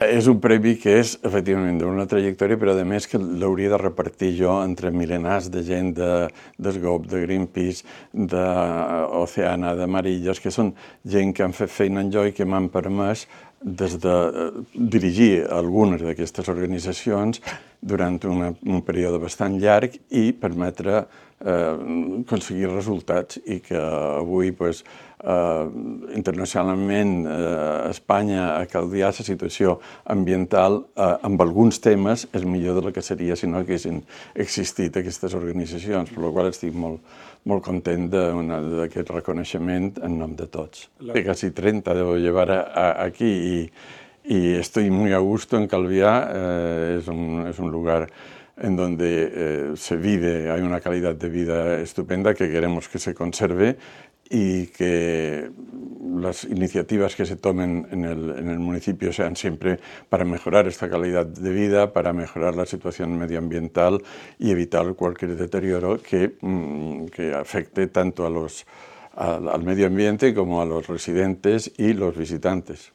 És un premi que és, efectivament, d'una trajectòria, però a més que l'hauria de repartir jo entre mil·lenars de gent d'Esgop, de Greenpeace, d'Oceana, d'Amarillos, que són gent que han fet feina en jo i que m'han permès des de dirigir algunes d'aquestes organitzacions durant un període bastant llarg i permetre aconseguir resultats i que avui internacionalment Espanya a Calvià la situació ambiental amb alguns temes és millor del que seria si no haguessin existit aquestes organitzacions, per la qual estic molt content d'aquest reconeixement en nom de tots. De quasi 30 debo llevar aquí y estoy muy a gusto en Calviá, es un lugar en donde se vive, hay una calidad de vida estupenda que queremos que se conserve y que las iniciativas que se tomen en el municipio sean siempre para mejorar esta calidad de vida, para mejorar la situación medioambiental y evitar cualquier deterioro que afecte tanto al medio ambiente como a los residentes y los visitantes.